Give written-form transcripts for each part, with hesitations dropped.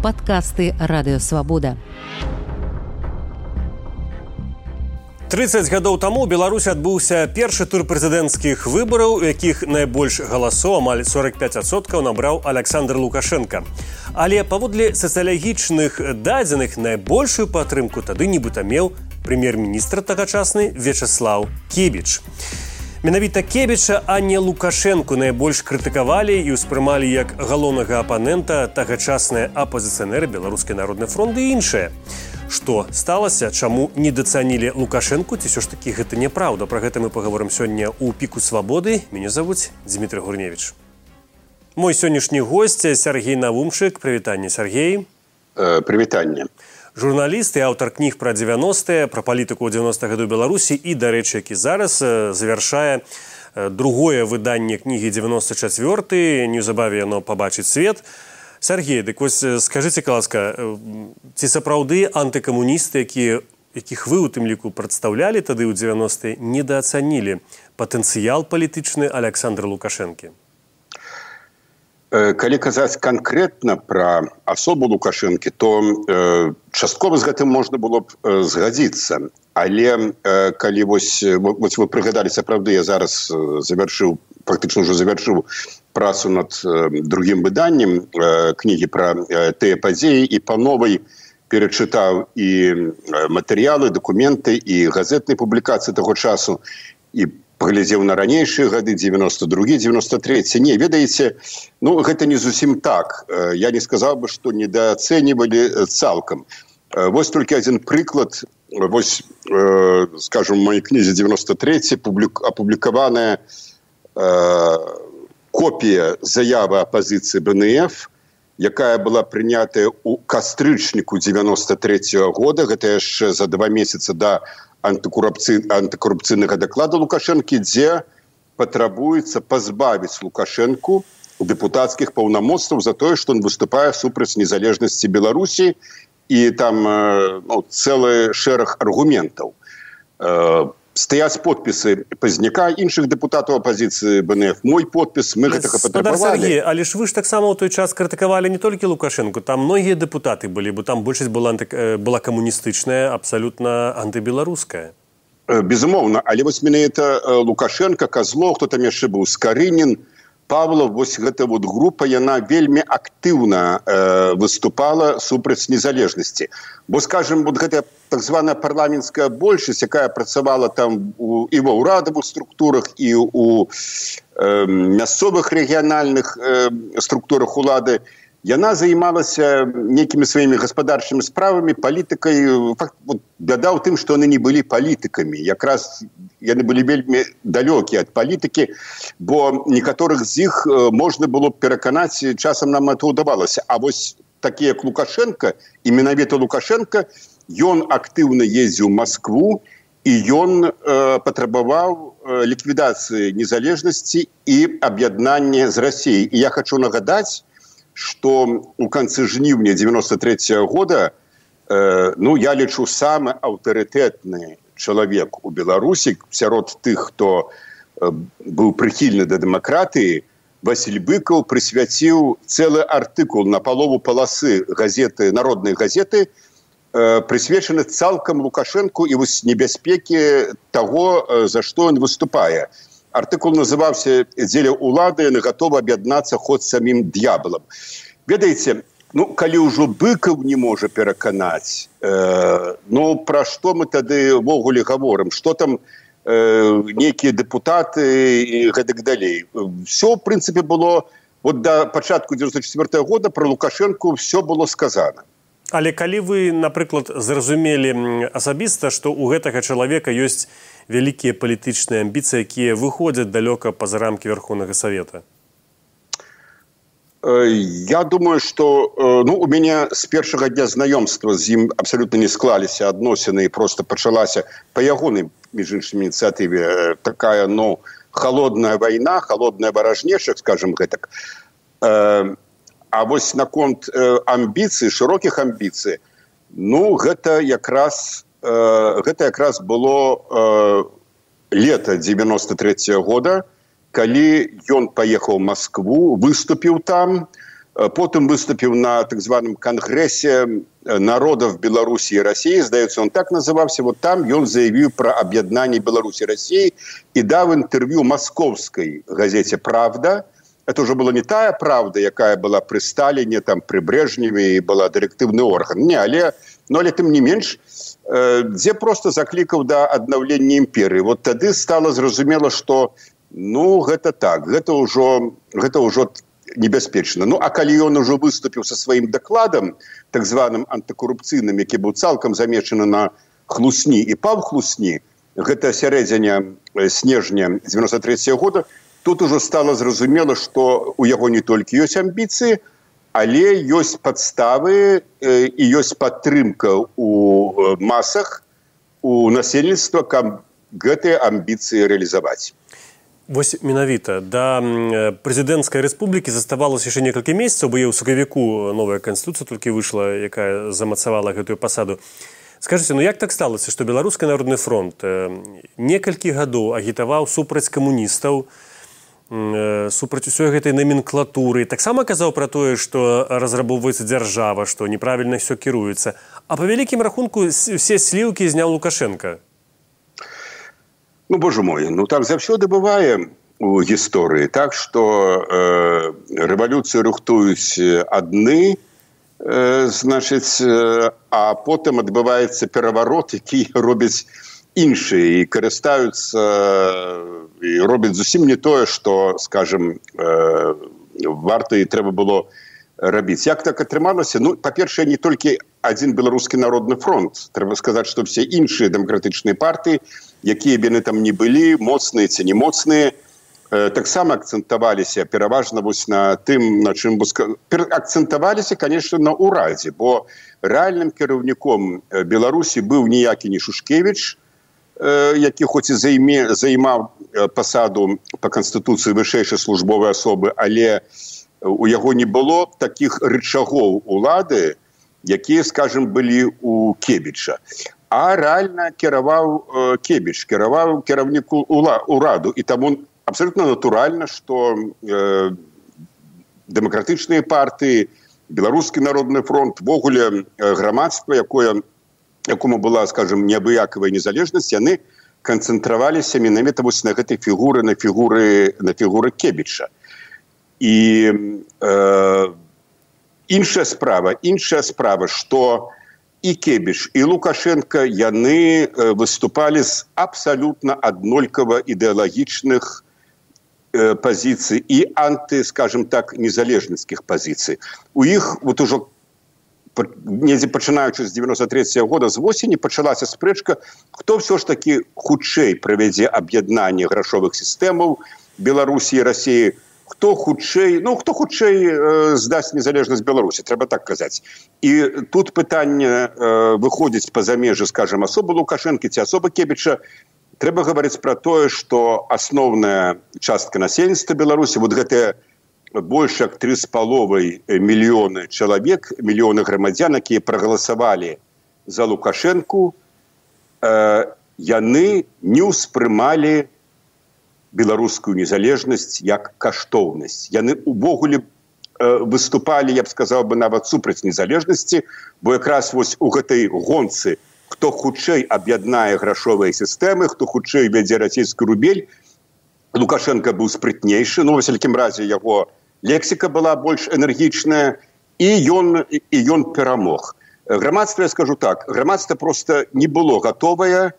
Падкасты Радыёвабода. 30 гадоў таму ў Беларусі адбыўся першы тур прэзідэнцкіх выбараў, у якіх найбольш галасоў, амаль 45%, набраў Александр Лукашенко. Але паводле сацыялагічных дадзеных найбольшую падтрымку тады нібыта меў прэм'ер-міністр тагачасны Вячеслав Кебіч. Менавіта Кебіча, а не Лукашенку найбольш крытыкавалі і ўспрымалі як галоўнага апанента тагачасныя апазіцыянеры Беларускі народны фронт і іншыя. Што сталася, чаму недацанілі Лукашенку, ці ўсё ж такі гэта няпраўда? Пра гэта мы паговорым сёння ў «Піку свабоды». Мяне завуць Дмітрий Гурневіч. Мой сённяшні госць Сергей Навумчык. Прывітанне, Сергей. Прывітанне. Журналіст і аўтар кніг пра 90-е, пра палітыку ў 90-х гадоў Беларусі і, дарэчы, які зараз завяршае другое выданне кнігі 94-й. Неўзабаве яно пабачыць свет. Сергей, дык вось скажыце, ласка, ці сапраўды антыкамуністы, якіх вы у тым ліку прадстаўлялі тады ў 90-е, недаацанілі патэнцыял палітычны Александра Лукашэнкі? Калі казаць канкрэтна пра асобу Лукашэнкі, то часткова з гэтым можна было б згадзіцца. Але калі вось вы прыгадалі, сапраўды, я зараз фактычна ўжо завяршыў працу над другім выданнем кнігі пра тыя падзеі і па новай перачытаў і матэрыялы, дакументы і газетныя публікацыі таго часу і паглядзеў на ранейшыя гады, 92-й, 93-й. Не, ведаеце, гэта не зусім так. Я не сказаў бы, што недаацэньвалі цалкам. Вось толькі адзін прыклад. Вось, скажем, у маёй кнізе 93-й апублікаваная копія заявы апазіцыі БНФ, якая была прынятая ў кастрычніку 93-го года, гэта яшчэ за 2 месяца да антыкорупцыйнага даклада Лукашэнкі, дзе патрабуецца пазбавіць Лукашэнку дэпутацкіх паўнамоцтваў за тое, што ён выступае супраць незалежнасці Беларусі, і там цэлы шэраг аргументаў. Стаяць подпісы Пазняка, іншых дэпутатаў апазіцыі БНФ, мой подпіс, мы гэтага патрабавалі. Сергей, але ж вы ж таксама ў той час крытыкавалі не толькі Лукашэнку, там многія дэпутаты былі, бо там большасць была камуністычная, абсалютна антыбеларуская. Безумоўна, але вось менавіта Лукашенко, Козлов, хто там яшчэ быў, Скарынін, Павлов, вось гэта вот група, яна вельмі актыўна выступала супраць незалежнасці. Бо, скажем, вот гэта так званая парламенцкая большасць, якая працавала там і ва ўрадавых структурах, і ў мясцовых рэгіянальных структурах улады, яна займалася нейкімі сваімі гаспадарчымі справамі, палітыкай. Бяда ў тым, што яны не былі палітыкамі. Якраз яны былі вельмі далёкія ад палітыкі, бо некаторых з іх можна было б пераканаць, часам нам это ўдавалася. А вось такі, як Лукашенко, і менавіта Лукашенко, ён актыўна ездзіў у Маскву, і ён патрабаваў ліквідацыі незалежнасці і аб'яднання з Расіяй. І я хачу нагадаць, што ў канцы жніўня 93-го года, я лічу, самы аўтарытэтны чалавек у Беларусі сярод тых, хто быў прыхільны да дэмакратыі, Васіль Быкаў прысвяціў цэлы артыкул на палову паласы газеты, народнай газеты, прысвечаны цалкам Лукашэнку і вось небяспекі таго, за што ён выступае. Артыкул называўся «Дзеля ўлады яны гатовы аб'яднацца хоць самім д'ябалам». Ведаеце, калі ўжо Быкаў не можа пераканаць, пра што мы тады ўвогуле гаворым? Што там нейкія дэпутаты і гэтак далей? Всё, в прынцыпе, было, да пачатку 94-го года пра Лукашэнку всё было сказана. Але калі вы, напрыклад, зразумелі асабіста, што ў гэтага чалавека ёсць вялікія палітычныя амбіцыі, якія выходзяць далёка па-за рамкі Верховнага Савета? Я думаю, што у мяне з першага дня знаёмства з ім абсалютна не склаліся адносіны, і проста пачалася па ягонай, між іншым, ініцыятыве такая, холодная вайна, холодная варажнеча, скажем гэтак. А вось наконт амбіцый, шырокіх амбіцый, гэта якраз было лета 93-го года, калі ён паехаў у Маскву, выступіў там, потым выступіў на так званым кангрэсе народов Беларусі і Расіі, здаецца, он так называўся. Вот там ён заявіў пра аб'яднанне Беларусі і Расіі і даў інтэрв'ю маскоўскай газеце «Правда». Это уже была не тая «Правда», якая была пры Сталіне, там, пры Брежневе і была дырэктыўны орган. Не, але тым не менш, дзе просто заклікаў да аднаўлення імперыі. Вот тады стала зразумела, што гэта так, гэта ўжо небяспечна. А калі ён ужо выступіў са сваім дакладам, так званым антыкорупцыйным, які быў цалкам замечаны на Хлусні і паў Хлусні, гэта сярэдзіне снежня 93-го года, тут ужо стала зразумела, што у яго не толькі ёсць амбіцыі, але ёсць падставы і ёсць падтрымка ў масах, у насельніцтва, каб гэтыя амбіцыі рэалізаваць. Вось менавіта да прэзідэнцкай рэспублікі заставалася яшчэ некалькі месяцаў, бо ў сакавіку новая канстытуцыя толькі выйшла, якая замацавала гэтую пасаду. Скажыце, як так сталася, што Беларускі народны фронт некалькі гадоў агітаваў супраць камуністаў, супраць усёй гэтай номенклатуры, таксама казаў пра тое, што разрабоўваецца дзяржава, што неправільна ўсё кіруецца, а па вялікім рахунку все сліўкі зняў Лукашенка. Боже мой, так заўсёды бывае у гісторыі. Так, што рэвалюцыю рыхтуюць адны, значыць, а потым адбываецца пераварот, які робяць іншыя і карыстаюцца і робяць зусім не тое, што, скажем, варта і трэба было рабіць. Як так атрымалася? Па-першае, не толькі адзін Беларускі народны фронт. Трэба сказаць, што все іншыя дэмакратычныя партыі, якія б яны там не былі, моцныя ці не моцныя, таксама акцэнтаваліся пераважна вось на тым, на чым акцэнтаваліся, конечно, на ўрадзе, бо рэальным кіраўніком Беларусі быў ніякі не Шушкевіч, які хоць і займаў пасаду па канстытуцыі вышэйшай службовай асобы, але у яго не было такіх рычагоў улады, якія, скажем, былі у Кебіча. А рэальна кіраваў Кебіч, кіраваў кіраўніку ўраду. І таму абсолютно натуральна, што дэмакратычныя партыі, Беларускі народны фронт, вогуле грамадства, якому была, скажем, неабыякавая незалежнасць, яны канцэнтраваліся менавіта вось на гэтай фігуры, на фігуры Кебіча. І іншая справа, што і Кебіч, і Лукашенко, яны выступалі з абсалютна аднолькава ідэалагічных пазіцый і анты, скажем так, незалежніцкіх пазіцый. У іх вот ужо недзе пачынаючы з 93-го года, з восені, пачалася спрэчка, хто ўсё ж такі хутчэй правядзе аб'яднанне грашовых сістэмаў Беларусі і Расіі, хто хутчэй здасць незалежнасць Беларусі, трэба так казаць. І тут пытанне выходзіць па-за межы, скажем, асобы Лукашэнкі ці асобы Кебіча. Трэба гаварыць пра тое, што асноўная частка насельніцтва Беларусі, вот гэтыя больш як 3,5 мільёны чалавек, мільёны грамадзян, якія прагаласавалі за Лукашэнку, яны не ўспрымалі беларускую незалежнасць як каштоўнасць. Яны увогуле выступалі, я б сказаў бы, нават супраць незалежнасці, бо якраз вось у гэтай гонцы, хто хутчэй аб'яднае грашовыя сістэмы, хто хутчэй вядзе расійскі рубель, Лукашенко быў спрытнейшы, во всякім разе яго лексіка была больш энергічная, і ён перамог. Грамадства, я скажу так, грамадства просто не было гатовае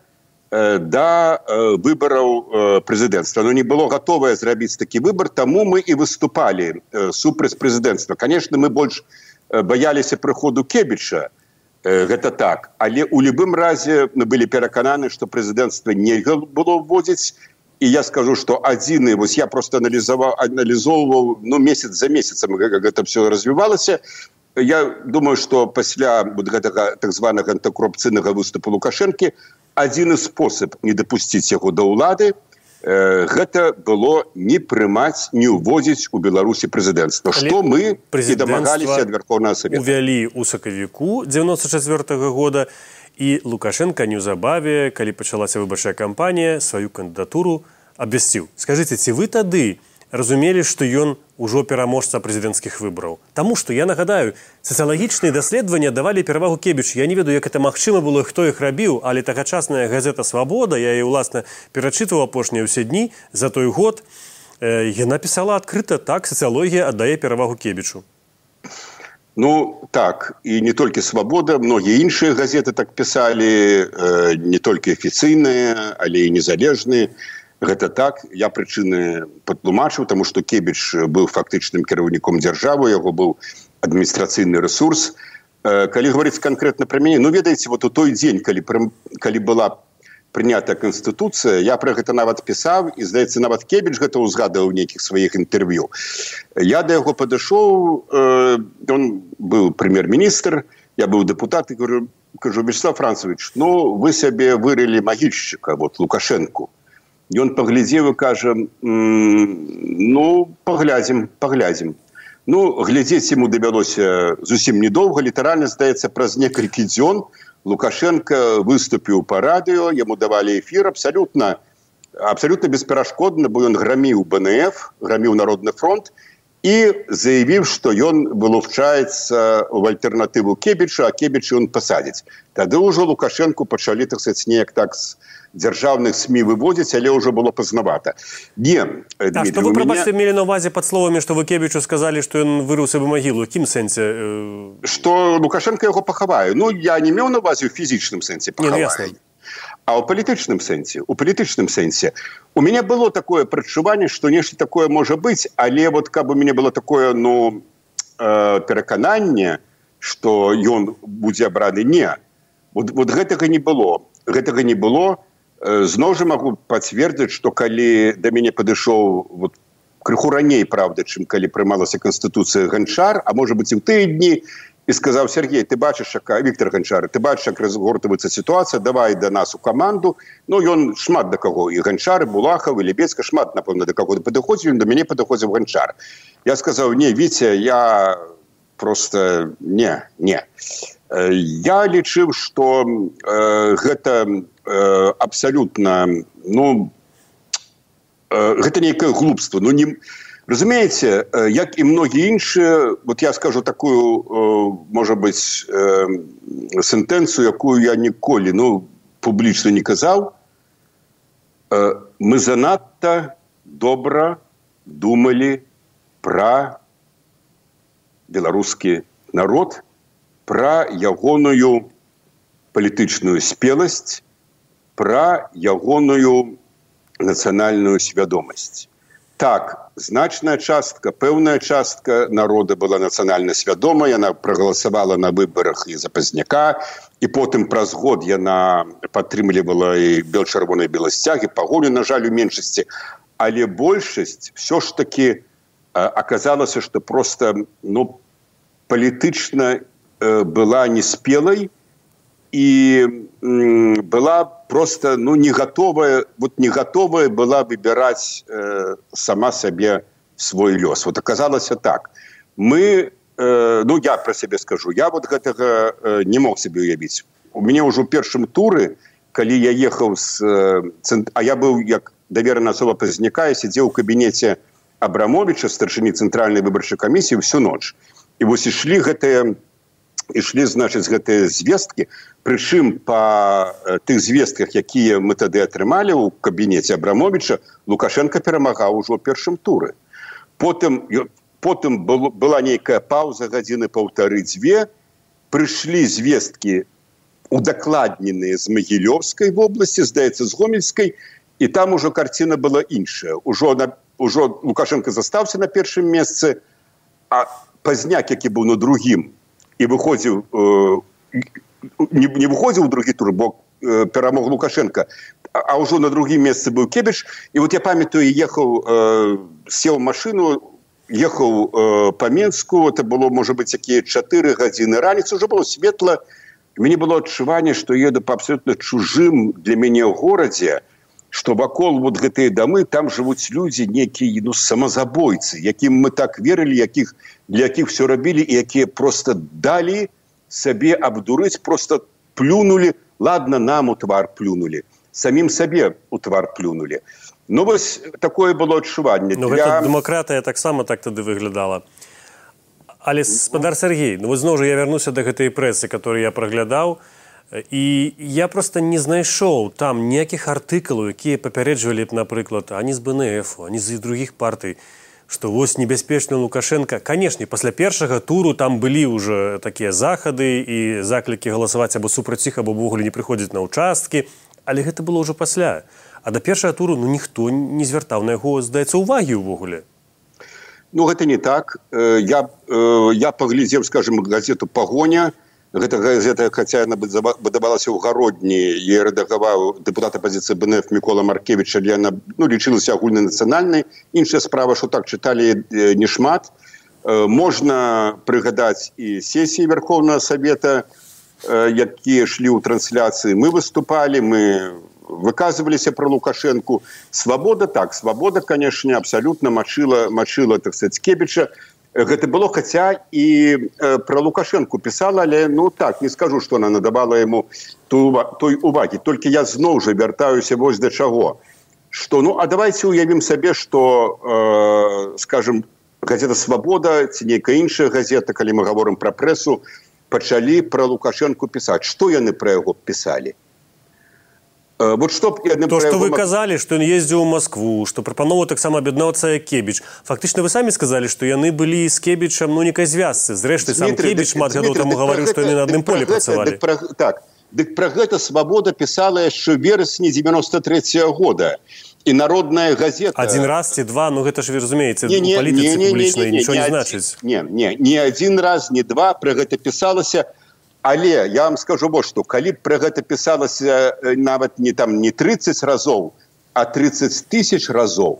да выбараў прэзідэнцтва. Оно не было гатовае зрабіць такі выбар, таму мы і выступалі супраць прэзідэнцтва. Конечно, мы больш баяліся прыходу Кебіча, гэта так, але ў любым разе мы былі перакананы, што прэзідэнцтва нельга было вводзіць. І я скажу, што адзіны, вось я просто аналізоўваў, месяц за месяцам гэта все развівалася. Я думаю, што пасля гэтага так званага антыкорупцыйнага выступу Лукашэнкі адзіны спосаб не дапусціць яго да ўлады, гэта было не прымаць, не ўводзіць у Беларусі прэзідэнцтва, што мы і дамагаліся ад Верховнага Савета. Увялі ў сакавіку 94-го года, і Лукашенко неўзабаве, калі пачалася выбарчая кампанія, сваю кандыдатуру абвясціў. Скажыце, ці вы тады разумелі, што ён ужо пераможца прэзідэнцкіх выбараў. Таму што, я нагадаю, сацыялагічныя даследавання давалі перавагу Кебічу. Я не ведаю, як это магчыма было, хто іх рабіў, але тагачасная газета «Свабода», я яе, уласна, перачытваў апошнія ўсе дні за той год, яна пісала адкрыта, так, сацыялогія аддае перавагу Кебічу. Ну, так, і не толькі «Свабода», многія іншыя газеты так пісалі, не толькі афіцыйныя, але і незалежныя. Гэта так, я прычыны патлумачыў, таму што Кебіч быў фактычным кіраўніком дзяржавы, яго быў адміністрацыйны рэсурс. Калі гаварыць канкрэтна пра мяне, ну, ведаеце, вот у той дзень, калі была прынятая Канстытуцыя, я пра гэта нават пісаў, і, здаецца, нават Кебіч гэта ўзгадаў у нейкіх сваіх інтэрв'ю. Я да яго падышоў, ён быў прэм'ер-міністр, я быў дэпутат, і кажу, Вячеслав Францович, ну, вы сабе вырылі магільшчыка, вот, Лукашэнку. Ён паглядзеў і кажа, ну, паглядзім. Ну, глядзець яму давялося зусім недоўга, літаральна, здаецца, праз некалькі дзён Лукашенко выступіў па радыё, яму давалі эфір абсалютна бесперашкодна, бо ён граміў БНФ, граміў Народны фронт і заявіў, што ён вылучаецца ў альтэрнатыву Кебіча, а Кебіча ён пасадзіць. Тады ўжо Лукашенку пачалі, так сказаць, неяк так з дзяржаўных СМІ выводзіць, але ўжо было пазнавата. Не, а што вы, прабачце, мелі на ўвазе пад словамі, што вы Кебічу сказалі, што ён вырыў сабе магілу? У якім сэнсе? Што Лукашенко яго пахавае. Ну, я не меў на ўвазе ў фізічным сэнсе пахавае. А ў палітычным сэнсе. У мяне было такое прадчуванне, што нешта такое можа быць, але вот каб у мяне было такое, ну, перакананне, што ён будзе абраны, не. Вот гэтага не было. Зноў жа магу пацвердзіць, што калі да мяне падышоў вот, крыху раней, правда, чым калі прымалася Канстытуцыя Ганчар, а можа быць і ў тыя дні, і сказаў: Сергей, ты бачыш, Віктор Ганчар, ты бачыш, як разгортваецца сітуацыя, давай да нас у каманду. Ну, ён шмат да каго, і Ганчар, і Булахаў, і Лебецька, шмат, напэўна, да каго падыходзіў, да мяне падыходзіў Ганчар. Я сказаў: не, Віця, я просто не. Я лічыў, што гэта абсалютна, ну, гэта нейкае глупства. Ну, не, разумееце, як і многія іншыя, вот я скажу такую, можа быць, сентэнцыю, якую я ніколі, ну, публічна не казаў. Мы занадта добра думалі пра беларускі народ, пра ягоную палітычную спеласць, пра ягоную нацыянальную свядомасць. Так, значная частка, пэўная частка народа была нацыянальна свядома, яна прагаласавала на выбарах і за Пазняка, і потым праз год яна падтрымлівала і бел-чырвоныя беласцягі, пагоню, на жаль, у меншасці. Але большасць все ж таки аказалася, што проста, ну, палітычна была неспелай і была просто, ну, не готовая была выбирать сама себе свой лёс. Вот оказалася так. Мы, ну, я про себе скажу, я вот гэтага не мог себе уявіць. У мяне ўжо ў першым туры, калі я ехаў а я быў як даверана асоба Пазняка, я сидзеў у кабінеце Абрамовича, старшыні цэнтральнай выбарчай камісіі, всю ноч. І вось ішлі, значыць, гэтыя звесткі, прычым па тых звестках, якія мы тады атрымалі ў кабінеце Абрамовича, Лукашенко перамагаў ужо ў першым туры. Потым была нейкая паўза, гадзіны паўтары-дзве, прыйшлі звесткі удакладненыя з Магілёўскай вобласці, здаецца, з Гомельскай, і там ужо карціна была іншая. Ужо Лукашенко застаўся на першым месцы, а Пазняк, які быў на другім, і выходзіў, не выходзіў у другі тур, бо перамог Лукашенко, а ўжо на другім месцы быў Кебіч. І вот я памятаю, сеў машину, ехаў па Менску, это было, можа быць, якія 4 гадзіны раніцы, ўжо было светла, і мяне было адчуванне, што еду па абсолютна чужым для мяне горадзе, што вакол вот гэтыя дамы, там жывуць людзі, некія, ну, самазабойцы, якім мы так верылі, для якіх все рабілі, і якія просто далі сабе абдурыць, просто плюнули, ладно, нам у твар плюнули, самім сабе у твар плюнули. Ну, вось такое было адчуванне. Ну, гэта дэмакратыя таксама так тады выглядала. Але, спадар Сергей, ну, зноў жа я вярнуся да гэтай прэсы, которую я праглядаў, і я просто не знайшоў там ніякіх артыкулаў, якія папярэджвалі б, напрыклад, ані з БНФ, ані з другіх партый, што вось небяспечны Лукашенко. Канешне, пасля першага туру там былі ўжо такія захады і заклікі галасаваць або супраць іх, або ўвогуле не прыходзіць на ўчасткі, але гэта было ўжо пасля. А да першага туру ніхто не звяртаў на яго, здаецца, увагі ўвогуле. Ну, гэта не так. Я паглядзеў, скажем, газету «Пагоня». Гэта газета, хаця яна выдавалася ў гародні, і рэдагаваў дэпутат апазіцыі БНФ Мікола Маркевіч, але яна лічылася агульнанацыянальнай. Іншая справа, што так чыталі не шмат. Можна прыгадаць і сесіі Верховнага Савета, якія шлі ў трансляцыі. Мы выступалі, мы выказываліся про Лукашенку. Свабода, так, свабода, конечно, абсолютно мочила, так сказать, Кебіча. Гэта было, хаця і про Лукашенку писала, але, ну так, не скажу, что она надавала ему той уваги. Только я зноў жа вяртаюся вось да чаго. Что, ну, а давайте уявім сабе, что, скажем, газета «Свобода» ці нейкая іншая газета, калі мы говорим про прессу, пачалі про Лукашенку писать. Что яны про яго писали? Вот что вы казалі, што ён ездзіў у Москву, што прапановаў таксама аб'яднаўцца Кебіч. Фактычна вы самі сказалі, што яны былі з Кебічам, ну, некай звязцы. Зрэшты, сам Кебіч шмат гадоў таму гаварыў, што яны на адным полі працавалі. Так, дык пра гэта «Свобода» пісала яшчэ ў верасні 93-го года. І народная газета... Один раз ці два, ну гэта ж вы разумееце, у палітыцы публічнай нічого не значыць. Не один раз, не два, пра гэта пісалася. Але я вам скажу вот што, калі б пра гэта пісалася нават не 30 разоў, а 30 тысяч разоў,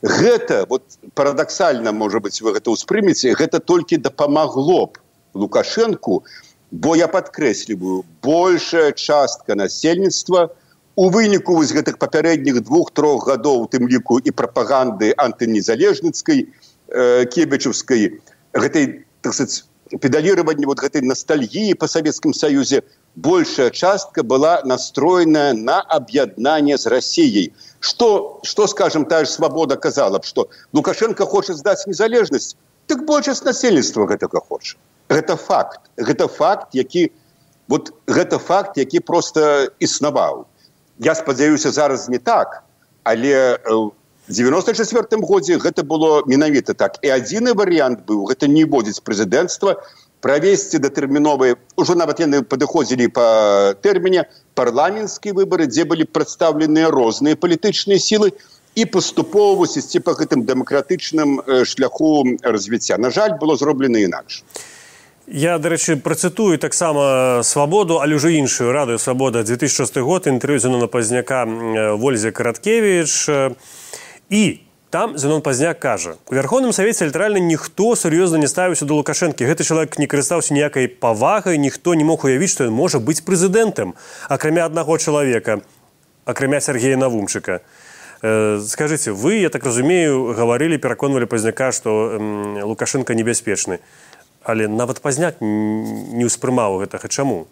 гэта, вот парадаксальна, можа быць, вы гэта ўспрымеце, гэта толькі дапамагло б Лукашенку, бо я падкрэсліваю, большая частка насельніцтва у выніку вось гэтых папярэдніх 2-3 гадоў, у тым ліку і прапаганды антынезалежніцкай, кебічаўскай, гэтай, так сказать, педалирование вот этой ностальгии по Советском Союзе, большая частка была настроена на объединение с Россией. Что, скажем, та же «Свобода» казала, что Лукашенко хочет сдать незалежность, так большасць насельніцтва гэтага хоча. Гэта факт. Гэта факт, які просто існаваў. Я спадзяюся, зараз не так, але в 94-м годзе гэта было менавіта так. І адзіны варыянт быў, гэта не вводзіць прэзідэнцтва, правесці датэрміновыя, ужо нават яны падыходзілі па тэрміне, парламенцкія выбары, дзе былі прадстаўленыя розныя палітычныя сілы і паступова ісці па гэтым дэмакратычным шляху развіцця. На жаль, было зроблена інакш. Я, до речі, процитую таксама «Свободу», але ўжо іншую, «Радыё Свобода», 2006 год, інтэрв'ю Зенона Пазняка Вользе Караткевіч. І там Зенон Пазняк кажа, у Верховным Савеце літаральна ніхто сур'ёзна не ставіўся да Лукашэнкі. Гэты чалавек не карыстаўся ніякай павагай, ніхто не мог уявіць, што ён можа быць прэзідэнтам, акрамя аднаго чалавека, акрамя Сергея Навумчыка. Скажыце, вы, я так разумею, гаварылі, пераконвалі Пазняка, што Лукашенко небяспечны. Але нават Пазняк не ўспрымаў гэтага. Чаму?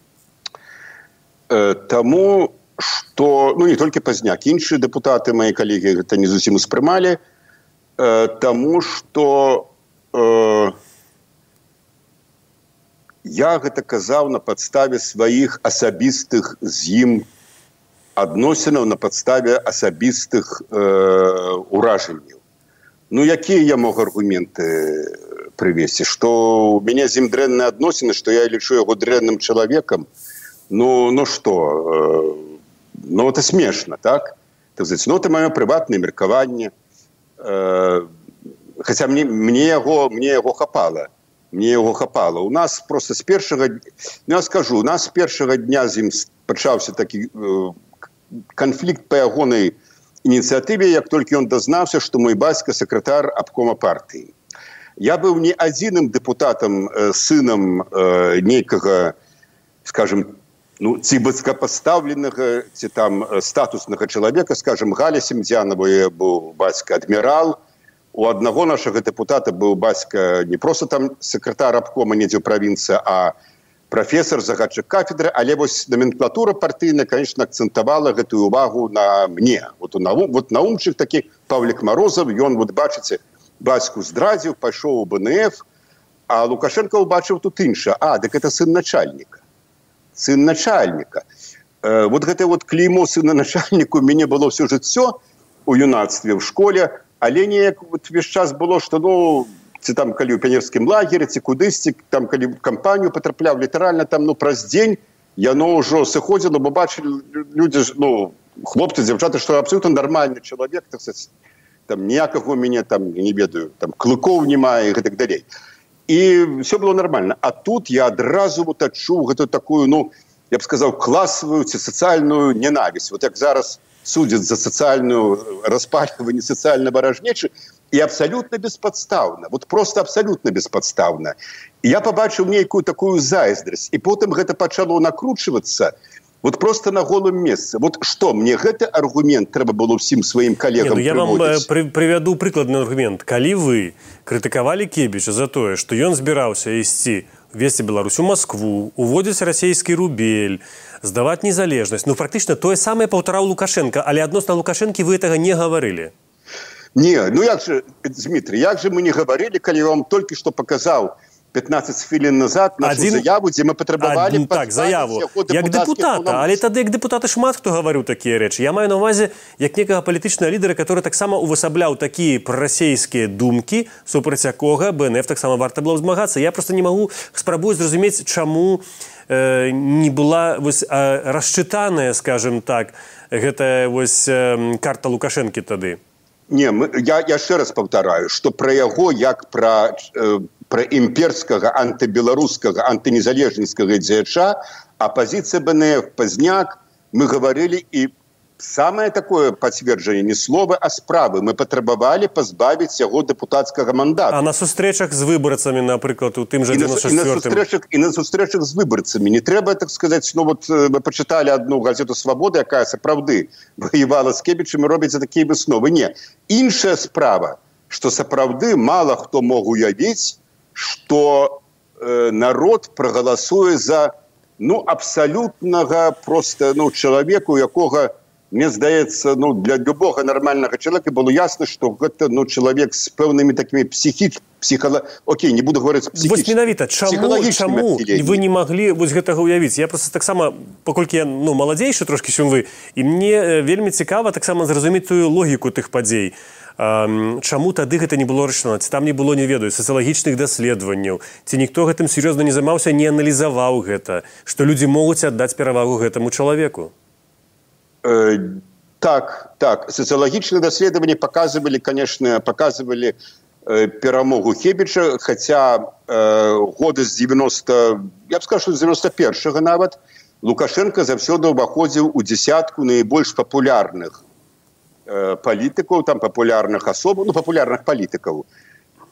Таму, што, ну, не толькі Пазняк, іншыя дэпутаты, мои калегі, гэта не зусім успрымалі, таму, што я гэта казаў на падставе сваіх асабістых з ім адносінаў, на падставе асабістых уражанняў. Ну, якія я мог аргументы прывесці? Што у мяне з ім дрэнныя адносіны, што я лічу яго дрэнным чалавекам? Ну што? Ну, это смешно, так? Так сказать, ну, это маё прыватнае меркаванне. Хаця мне яго хапала. Мне яго хапала. У нас просто з першага... Ну, я скажу, у нас з першага дня з ім пачаўся такі канфлікт па ягонай ініцыятыве, як толькі ён дазнаўся, што мой бацька сакратар абкома партыі. Я быў не адзіным дэпутатам, сынам нейкага, скажем, ну, ці высокопоставленага, ці там статуснага чалавека, скажем, Галя Семдзянова быў бацька адмірал. У аднаго нашага дэпутата быў бацька не проста там сакратар абкома недзе ў правінцыі, а прафесор, загадчык кафедры, але вось номенклатура партыйная, конечно, акцэнтавала гэтую увагу на мне. Вот наумчык такі Павлік Марозаў, ён, вот бачыце, бацьку здрадзіў, пайшоў у БНФ, а Лукашенко убачыў тут інша. Дык это сын начальника. Сын начальника. Вот гэта вот клеймо сына начальніку у мяне было все жыццё у юнацтве, в школе, але неяк вот весь час было, што, ці там, калі ў піянерскім лагеры, ці кудысьці, там, калі в кампанію патрапляў, літаральна там, праз дзень яно ўжо сыходзіла, бо бачылі людзі, хлопцы, дзяўчаты, што абсолютно нармальны чалавек, так сказать, там, ніякага у мяне, там, не ведаю, там, клыкоў немає і гэтак далей. І все было нормально. А тут я адразу вот адчуў гэту такую, я б сказаў, класавую ці сацыяльную ненавість. Вот як зараз судзяць за сацыяльную распальванне, сацыяльна варажнечы, і абсолютно беспадстаўна, вот просто абсолютно беспадстаўна. І я побачыў нейкую такую зайздрасць, і потым гэта пачало накручвацца вот просто на голым месцы. Вот што, мне гэты аргумент трэба было ўсім сваім калегам прыводзіць? Я вам прывяду прыкладны аргумент. Калі вы крытыкавалі Кебіча за тое, што ён збіраўся ісці весці Беларусь у Москву, уводзіць расійскі рубель, здаваць незалежнасць, практычна тое самае паўтараў Лукашенко, але адносна Лукашэнкі вы гэтага не гаварылі. Не, як же, Дмитрий, як же мы не говорили, калі я вам только что показал 15 хвілін назад нашу заяву, дзе мы патрабавалі заяву як депутата, але тады як депутаты шмат хто гаварыў такія рэчы. Я маю на ўвазе як некага палітычнага лідара, который таксама увасабляў такія прарасейскія думкі, супраць якога БНФ таксама варта было змагацца. Я просто не магу спрабую зразумець, чаму не была расчытаная, скажем так, гэтая карта Лукашэнкі тады. Не, я яшчэ раз паўтараю, што пра яго як пра імперскага, антыбеларускага, антынезалежніцкага дзеяча, апозіцыя БНФ, Пазняк, мы гаварылі, і самае такое пацверджанне не слова, а справы. Мы патрабавалі пазбавіць яго дэпутацкага мандата. А на сустрэчах з выбарцамі, напрыклад, у тым жа 94-м? І на сустрэчах з выбарцамі. Не трэба, так сказаць, мы пачыталі одну газету «Свабода», якая сапраўды ваявала з Кебічам і робіць такія высновы. Не. Іншая справа, што сапраўды мала хто мог уявіць, што народ прагаласуе за абсалютнага просто чалавека, у якога, мне здаецца, для любого нормального человека было ясно, что гэта чалавек з пэўнымі такімі окей, не буду говорить психічнымі. Вось менавіта, чаму вы не маглі гэтага ўявіць? Я просто таксама, паколькі я маладзейшы трошкі, чым вы, і мне вельмі цікава таксама зразумець тую логіку тых падзей. Чаму тады гэта не было рашана? Ці там не было, не ведаю, сацыялагічных даследаванняў? Ці ніхто гэтым сур'ёзна не займаўся, не аналізаваў гэта? Што людзі могуць аддаць перавагу гэтаму чалавеку? Так. Социологические исследования показывали перамогу Кебіча, хотя года з 90, я б сказал, что з 91-го нават, Лукашенко заўсёды ўваходзіў у дзесятку наибольш папулярных палітыкаў, там папулярных асоб, папулярных палітыкаў.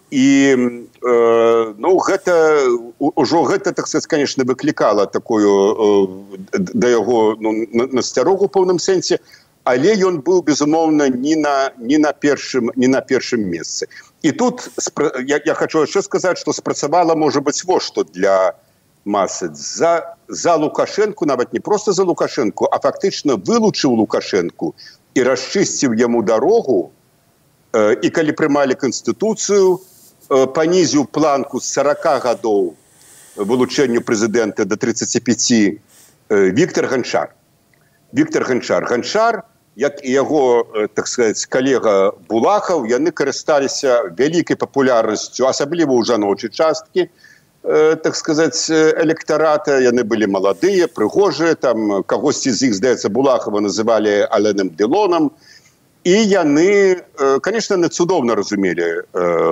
І гэта, так сказать, конечно, выклікала такую да яго насцярогу ў пэўным сэнсе, але ён быў, безумоўна, не на першым месцы. І тут я хочу яшчэ сказаць, што спрацавала, можа быць, што для масы. За Лукашэнку, нават не проста за Лукашэнку, а фактычна вылучыў Лукашэнку і расчысціў яму дарогу, і калі прымалі Канстытуцыю, панізіў планку з 40 гадоў вылучэнню прэзідэнта до 35, Віктор Ганчар. Ганчар, як і яго, так сказать, калега Булахаў, яны карысталіся вялікай папулярнасцю, асабліва ў жаночай часткі, так сказать, электарата. Яны былі маладыя, прыгожыя, там кагосьці з іх, здаецца, Булахава называлі Аленом Делоном. І яны, конечно, не цудоўна разумелі,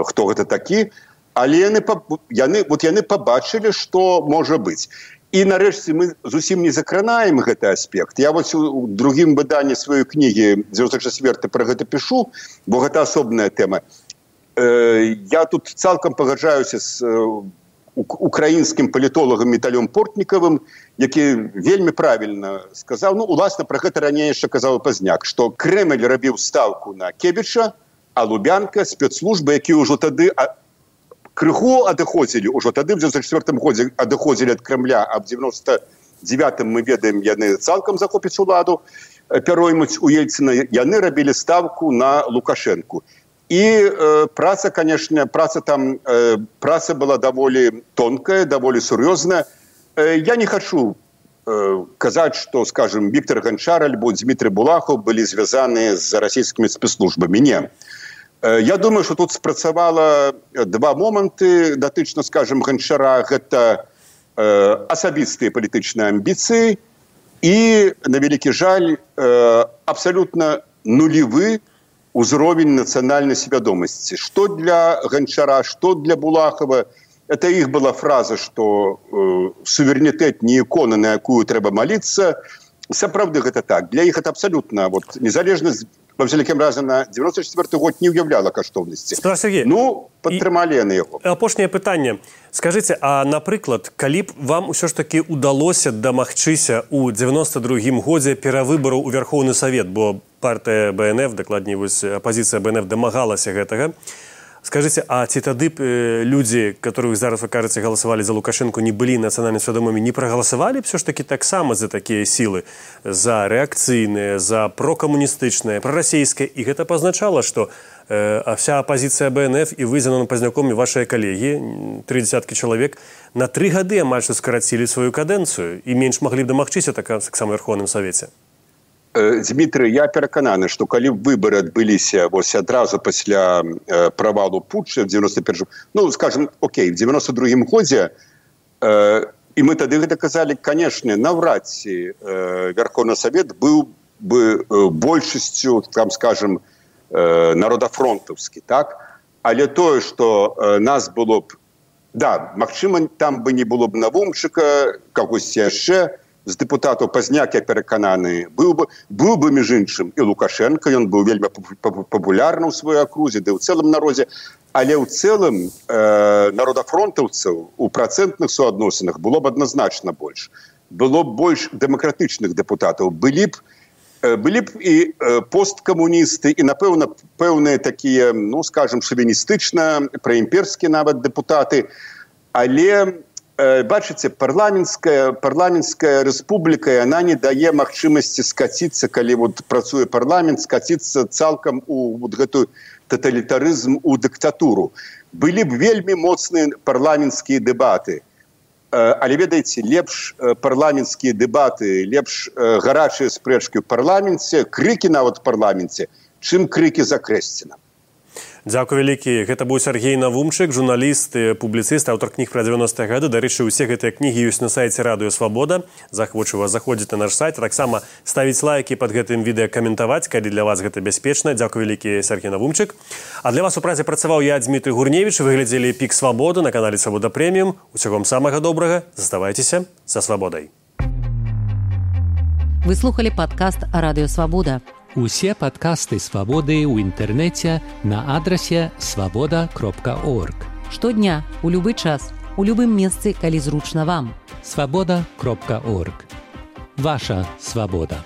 хто гэта такі, але яны пабачылі, што можа быць. І нарэшце мы зусім не закранаем гэты аспект. Я у другім выданні сваёй кнігі 94 пра гэта пішу, бо гэта асобная тэма. Я тут цалкам пагаджаюся з украінскім палітолагам Віталём Портнікавым, які вельмі правільна сказаў, уласна, пра гэта раней яшчэ казаў Пазняк, што Крэмль рабіў стаўку на Кебіча, а Лубянка, спецслужбы, якія ўжо тады крыху адыходзілі ўжо тады в 94 годзе адыходзілі ад Кремля, а в 99-м мы ведаем, яны цалкам захопяць уладу, пяроймуць у Ельцина, яны рабілі ставку на Лукашенку. І праца, конечно, праца была даволі тонкая, даволі сур'ёзная. Я не хочу казаць, што, скажем, Віктор Ганчар альбо Дмітрий Булахов былі звязаны з расійскімі спецслужбамі. Не. Я думаю, што тут спрацавала два моманты датычна, скажем, Ганчара. Гэта асабістыя палітычныя амбіцыі і, на вялікі жаль, абсалютна нулевы узровень нацыянальнай свядомасці. Што для Ганчара, што для Булахова. Это их была фраза, что суверэнітэт не ікона, на якую трэба маліцца. Сапраўды гэта так. Для іх это абсалютна незалежнасць, во всякім разе, на 94 год не ўяўляла каштоўнасці. Сергей, падтрымалі яны яго. Апошняе пытанне. Скажыце, а, напрыклад, калі б вам усё ж таки удалося дамагчыся ў 92-м годзе перавыбараў у Верховны Савет, бо партыя БНФ, дакладней, апазіцыя БНФ дамагалася гэтага, скажите, а ці тады люди, которых зараз, вы кажете, голосовали за Лукашенко, не были национально свядомыми, не проголосовали все ж таки так само за такие силы, за реакційные, за прокоммунистичные, пророссийские? И это позначало, что вся оппозиция БНФ и вы, Зенон Поздняком, и ваши коллеги, 30 человек, на 3 годы амаль что скоротили свою каденцию и меньше могли бы домагчыся так само в Верховном Совете. Дмітрый, я перакананы, што калі выбары адбыліся адразу пасля правалу путча в 91-м, скажем, окей, в 92-м годзе, і мы тады гэта казалі, канешне, наўрад ці Верховны Савет быў бы большасцю, там, скажем, народафронтаўскі, так? Але тое, што нас было б, да, магчыма, там бы не было б Навумчыка, кагосьці яшчэ, з депутатаў Пазняк, я перакананы, быў бы між іншым і Лукашенко, ён быў вельмі папулярны ў сваёй акрузе, ды ў цэлым народзе, але ў цэлым народафронтаўцаў у працэнтных суадносінах было б адназначна больш. Было б больш дэмакратычных депутатаў. Былі б і посткамуністы, і, напэўна, пэўныя такія, скажем, шовіністычна, праімперскія нават депутаты, але бачыце, парламенцкая рэспубліка, яна не дае магчымасці скаціцца, калі працуе парламент, скаціцца цалкам у гэтую таталітарызм, у дыктатуру. Былі б вельмі моцныя парламенцкія дэбаты. Але, ведаеце, лепш парламенцкія дэбаты, лепш гарачыя спрэчкі ў парламенце, крыкі нават у парламенце, чым крыкі за Крэсціна. Дзякуй вялікі. Гэта быў Сергей Навумчык, журналіст, публіцыст, аўтар кніг пра 90-е гады. Дарэчы, усе гэтыя кнігі ёсць на сайце Радыё Свабода. Захвочу вас заходзіць на наш сайт. Таксама ставіць лайкі пад гэтым відэа, каментаваць, калі для вас гэта бяспечна. Дзякуй вялікі, Сергей Навумчык. А для вас у празе працаваў я, Дмітрий Гурневіч. Вы глядзелі «Пік Свабоды» на канале Свабода Прэміум. Усяго вам самага добрага. Заставайцеся са свабодай. Вы слухали падкаст «Радыё Свабода». Усе падкасты «Свабоды» ў інтэрнэце на адрасе свабода.орг. Штодня, у любы час, у любым месцы, калі зручна вам. Свабода.орг. Ваша свабода.